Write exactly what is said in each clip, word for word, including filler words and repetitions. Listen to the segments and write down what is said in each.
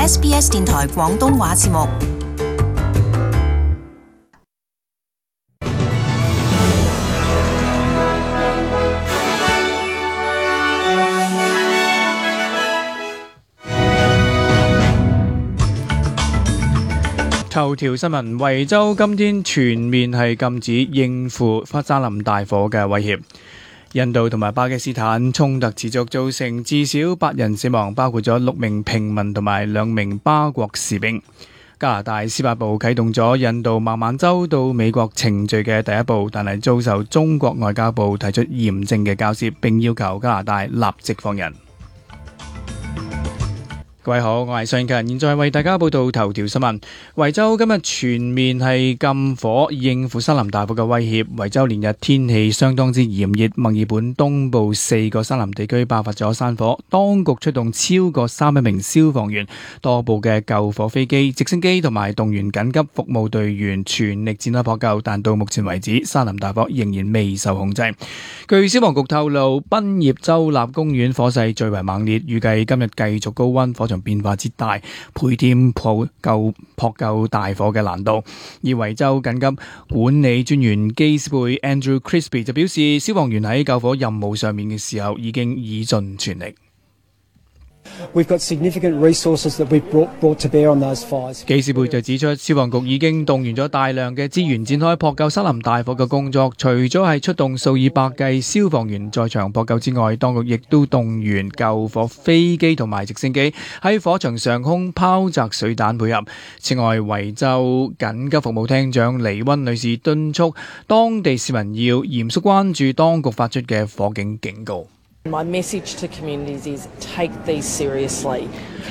S B S 電台廣東話節目。頭條新聞：維州今天全面係禁止應付山林大火嘅威脅。印度同埋巴基斯坦衝突持續，造成至少八人死亡，包括咗六名平民同埋兩名巴國士兵。加拿大司法部啟動咗印度孟晚舟到美國程序嘅第一步，但係遭受中國外交部提出嚴正嘅交涉，並要求加拿大立即放人。各位好，我係尚勤，現在為大家報道頭條新聞。維州今日全面係禁火，應付山林大火嘅威脅。維州連日天氣相當之炎熱，墨爾本東部四個山林地區爆發咗山火，當局出動超過三百名消防員、多部嘅救火飛機、直升機同埋動員緊急服務隊員全力展開撲救，但到目前為止，山林大火仍然未受控制。據消防局透露，賓葉州立公園火勢最為猛烈，預計今日繼續高溫，火場變化之大，倍添撲救撲救大火嘅難度。而維州緊急管理專員基斯貝 Andrew Crispy 就表示，消防員喺救火任務上面嘅時候已經以盡全力。We've got significant resources that we've brought, brought to bear on those fires. 基斯貝就指出，消防局已經動員咗大量嘅資源，展開撲救山林大火嘅工作。除咗係出動數以百計消防員在場撲救之外，當局亦都動員救火飛機同埋直升機喺火場上空拋擲水彈配合。此外，維州緊急服務廳長黎溫女士敦促當地市民要嚴肅關注當局發出嘅火警警告。My message to communities is take these seriously.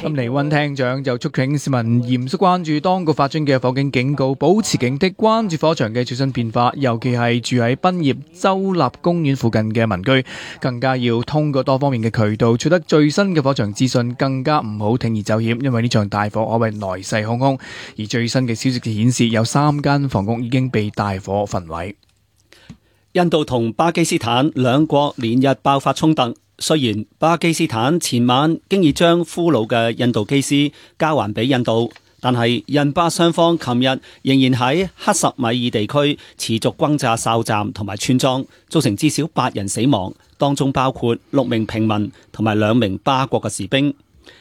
咁黎溫廳長就促請市民嚴肅關注當局發出嘅火警警告，保持警惕，關注火場嘅最新變化，尤其係住喺賓葉州立公園附近嘅民居，更加要通過多方面嘅渠道取得最新嘅火場資訊，更加唔好鋌而走險，因為呢場大火可謂來勢洶洶。而最新嘅消息顯示，有三間房屋已經被大火焚毀。印度同巴基斯坦兩國連日爆發衝突，雖然巴基斯坦前晚經已將俘虜嘅印度機師交還俾印度，但係印巴雙方琴日仍然喺克什米爾地區持續轟炸哨站同埋村莊，造成至少八人死亡，當中包括六名平民同埋兩名巴國嘅士兵。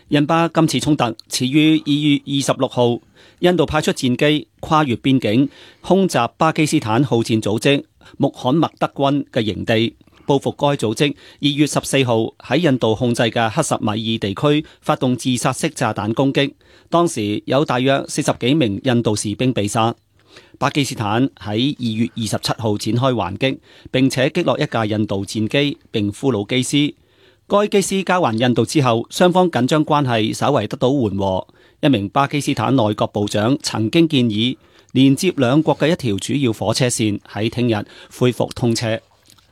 印巴今次衝突始於二月二十六號，印度派出戰機跨越邊境空襲巴基斯坦好戰組織穆罕默德軍嘅營地，報復該組織二月十四號喺印度控制嘅克什米爾地區發動自殺式炸彈攻擊，當時有大約四十幾名印度士兵被殺。巴基斯坦喺二月二十七號展開還擊，並且擊落一架印度戰機並俘虜機師。該機師交還印度之後，雙方緊張關係稍為得到緩和。一名巴基斯坦內閣部長曾經建議，連接兩國嘅一條主要火車線喺聽日恢復通車。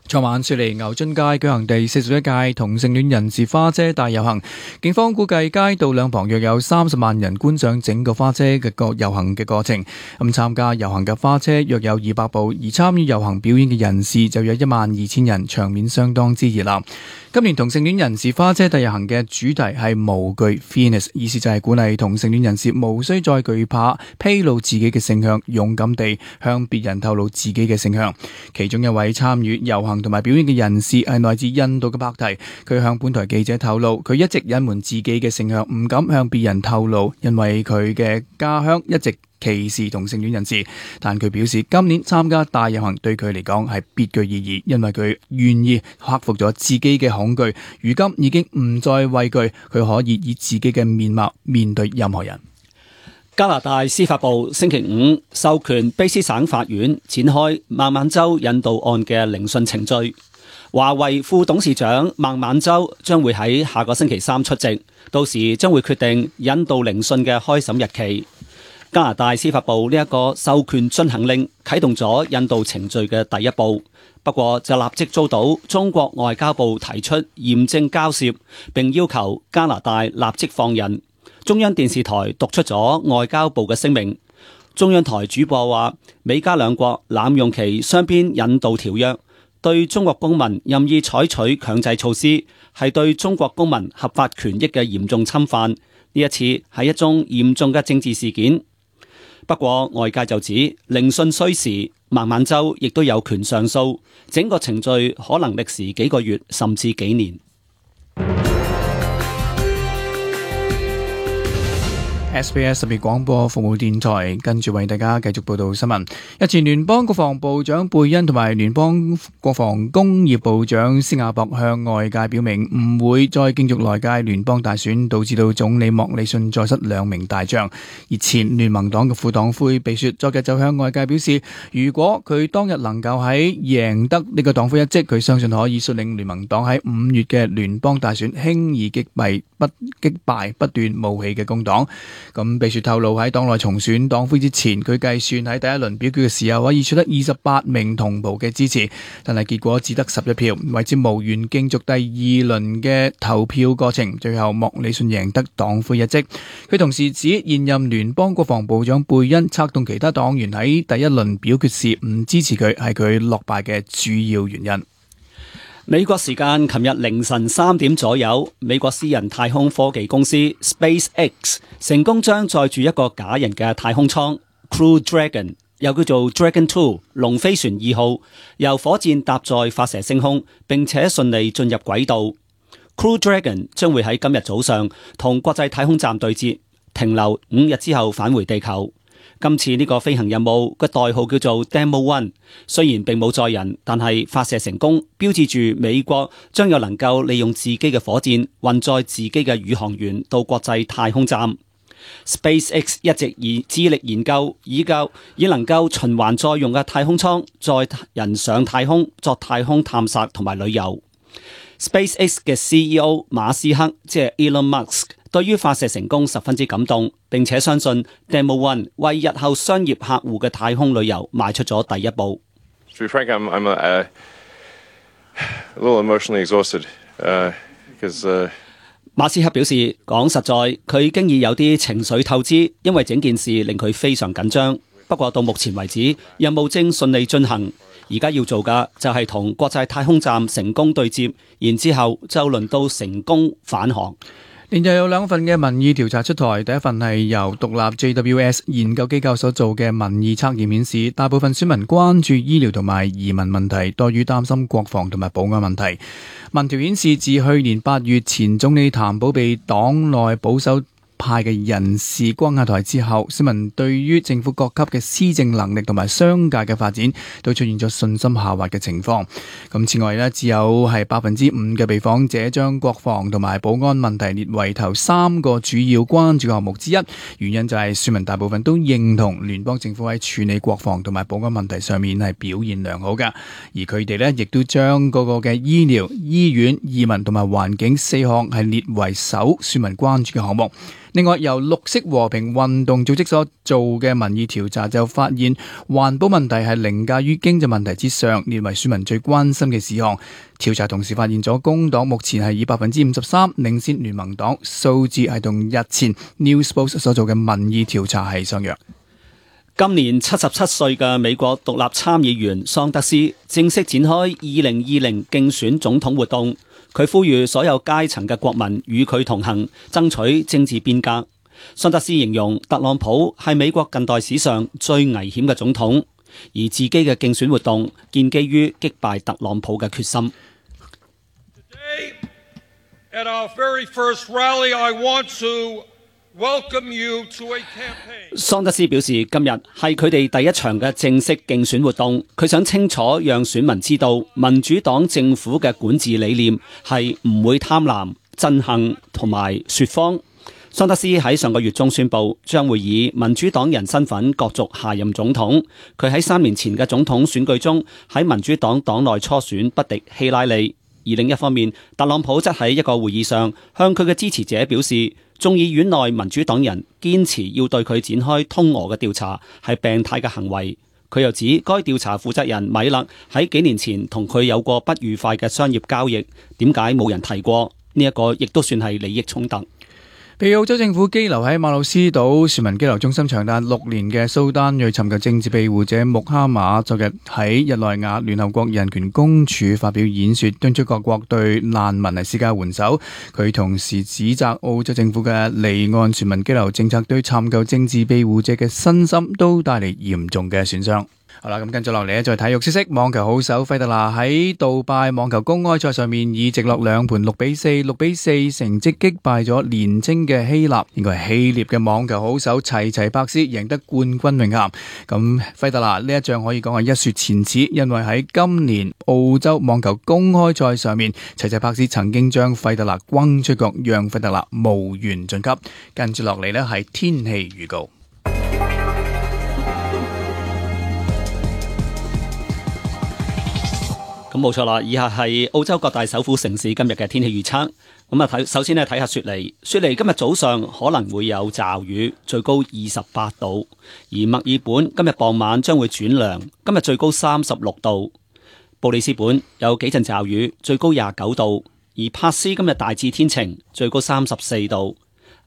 昨晚雪梨牛津街舉行第四十一屆同性戀人士花車大遊行，警方估計街道兩旁約有三十萬人觀賞整個花車嘅個遊行嘅過程。咁參加遊行嘅花車約有二百部，而參與遊行表演嘅人士就有一萬二千人，場面相當之熱鬧。今年同性戀人士花車大遊行嘅主題係無懼 Fearless， 意思就係鼓勵同性戀人士無需再懼怕披露自己嘅性向，勇敢地向別人透露自己嘅性向。其中一位參與遊行同埋表演嘅人士係來自印度嘅帕提，佢向本台記者透露，佢一直隱瞞自己嘅性向，唔敢向別人透露，因為佢嘅家鄉一直歧視同性戀人士。但佢表示，今年參加大遊行對佢嚟講係別具意義，因為佢願意克服咗自己嘅恐懼，如今已經唔再畏懼，佢可以以自己嘅面貌面對任何人。加拿大司法部星期五授權卑斯省法院展開孟晚舟引渡案嘅聆訊程序。華為副董事長孟晚舟將會喺下個星期三出席，到時將會決定引渡聆訊嘅開審日期。加拿大司法部呢一個授權進行令啟動咗引渡程序嘅第一步，不過就立即遭到中國外交部提出嚴正交涉，並要求加拿大立即放人。中央電視台讀出咗外交部嘅聲明。中央台主播話，美加兩國濫用其雙邊引渡條約，對中國公民任意採取強制措施，係對中國公民合法權益嘅嚴重侵犯，呢一次係一宗嚴重嘅政治事件。不過外界就指聆訊需時，孟晚舟亦都有權上訴，整個程序可能歷時幾個月甚至幾年。S B S 特別廣播服務電台跟住為大家繼續報道新聞。日前聯邦國防部長貝恩同埋聯邦國防工業部長斯亞博向外界表明唔會再競逐來屆聯邦大選，導致到總理莫里遜再失兩名大將。而前聯盟黨嘅副黨魁比雪昨日就向外界表示，如果佢當日能夠喺贏得呢個黨魁一職，佢相信可以率領聯盟黨喺五月嘅聯邦大選輕易擊敗不擊敗不斷冒起嘅工黨。咁比雪透露喺黨內重選黨魁之前，佢計算喺第一輪表決嘅時候可以取得二十八名同袍嘅支持，但係結果只得十一票，為之無緣競逐第二輪嘅投票過程。最後莫里遜贏得黨魁一職。佢同時指現任聯邦國防部長貝恩策動其他黨員喺第一輪表決時唔支持佢，係佢落敗嘅主要原因。美國時間琴日凌晨三點左右，美國私人太空科技公司 SpaceX 成功將載住一個假人嘅太空艙 Crew Dragon， 又叫做 Dragon 二龍飛船二號，由火箭搭載發射升空，並且順利進入軌道。Crew Dragon 將會喺今日早上同國際太空站對接，停留五日之後返回地球。今次呢個飛行任務嘅代號叫做 Demo One， 雖然並冇載人，但係發射成功，標誌住美國將有能夠利用自己嘅火箭運載自己嘅宇航員到國際太空站。SpaceX 一直以致力研究以夠以能夠循環再用嘅太空艙載人上太空作太空探索同埋旅遊。SpaceX 嘅 C E O 馬斯克即係 Elon Musk，對於發射成功十分之感動，並且相信 Demo One 為日後商業客戶嘅太空旅遊邁出咗第一步。To be frank, I'm, I'm a, a little emotionally exhausted, uh, because, uh... 馬斯克表示，講實在，佢經已有啲情緒透支，因為整件事令佢非常緊張。不過到目前為止，任務正順利進行。而家要做嘅就係同國際太空站成功對接，然之後就輪到成功返航。連日有兩份嘅民意調查出台，第一份係由獨立 J W S 研究機構所做嘅民意測驗顯示，大部分選民關注醫療同埋移民問題，多於擔心國防同埋保安問題。民調顯示，自去年八月前總理譚寶被黨內保守派嘅人士關下台之後，市民對於政府各級嘅施政能力同埋商界嘅發展都出現咗信心下滑嘅情況。咁此外呢，只有係百分之五嘅被訪者將國防同埋保安問題列為頭三個主要關注項目之一，原因就係選民大部分都認同聯邦政府喺處理國防同埋保安問題上面係表現良好嘅，而佢哋呢亦都將嗰個嘅醫療、醫院、移民同埋環境四項係列為首選民關注嘅項目。另外，由綠色和平運動組織所做嘅民意調查就發現，環保問題係凌駕於經濟問題之上，列為選民最關心嘅事項。調查同時發現咗工黨目前係以百分之五十三領先聯盟黨，數字係同日前 Newspost 所做嘅民意調查係相若。今年七十七歲嘅美國獨立參議員桑德斯正式展開二零二零競選總統活動。佢呼籲所有階層嘅國民與佢同行，爭取政治變革。桑德斯形容特朗普係美國近代史上最危險嘅總統，而自己嘅競選活動建基於擊敗特朗普嘅決心。Today, at our very first rally, I want to welcome you to a campaign. 桑德斯表示，今日係佢哋第一場嘅正式競選活動，佢想清楚讓選民知道，民主黨政府嘅管治理念係唔會貪婪、憎恨同埋說謊。桑德斯喺上個月中宣布，將會以民主黨人身份角逐下任總統。佢喺三年前嘅總統選舉中，喺民主黨黨內初選不敵希拉里。而另一方面，特朗普則喺一個會議上向佢嘅支持者表示，眾議院內民主黨人堅持要對佢展開通俄嘅調查係病態嘅行為。佢又指該調查負責人米勒喺幾年前同佢有過不愉快嘅商業交易，點解冇人提過？呢一個亦都算係利益衝突。被澳洲政府羈留喺馬魯斯島船民羈留中心長達六年嘅蘇丹裔尋求政治庇護者穆哈馬，昨日喺日內瓦聯合國人權公署發表演說，敦促各國對難民係施加援手。佢同時指責澳洲政府嘅離岸船民羈留政策對尋求政治庇護者嘅身心都帶嚟嚴重嘅損傷。好啦，咁跟住落嚟咧，就係體育消息。網球好手費特拿喺杜拜網球公開賽上面以直落兩盤六比四、六比四成績擊敗咗年青嘅希臘，應該係希臘嘅網球好手齊齊柏斯，贏得冠軍榮銜。咁費特拿呢一仗可以講係一雪前恥，因為喺今年澳洲網球公開賽上面，齊齊柏斯曾經將費特拿轟出局，讓費特拿無緣晉級。跟住落嚟呢係天氣預告。咁冇錯啦，以下係澳洲各大首府城市今日嘅天氣預測。咁啊，睇首先呢睇下雪梨。雪梨今日早上可能會有驟雨，最高二十八度。而墨爾本今日傍晚將會轉涼，今日最高三十六度。布里斯本有幾陣驟雨，最高廿九度。而珀斯今日大致天晴，最高三十四度。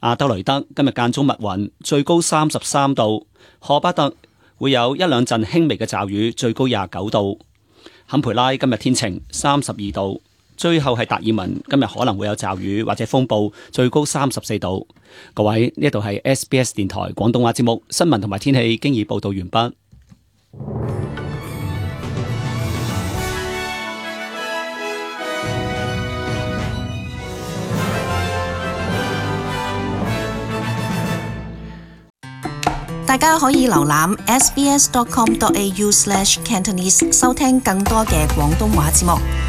阿德雷德今日間中密雲，最高三十三度。荷巴特會有一兩陣輕微嘅驟雨，最高廿九度。坎培拉今日天晴，三十二度。最後係達爾文，今日可能會有驟雨或者風暴，最高三十四度。各位，呢度係 S B S 電台廣東話節目，新聞同埋天氣經已報道完畢。大家可以瀏覽 s b s dot com dot a u slash cantonese 收聽更多嘅廣東話節目。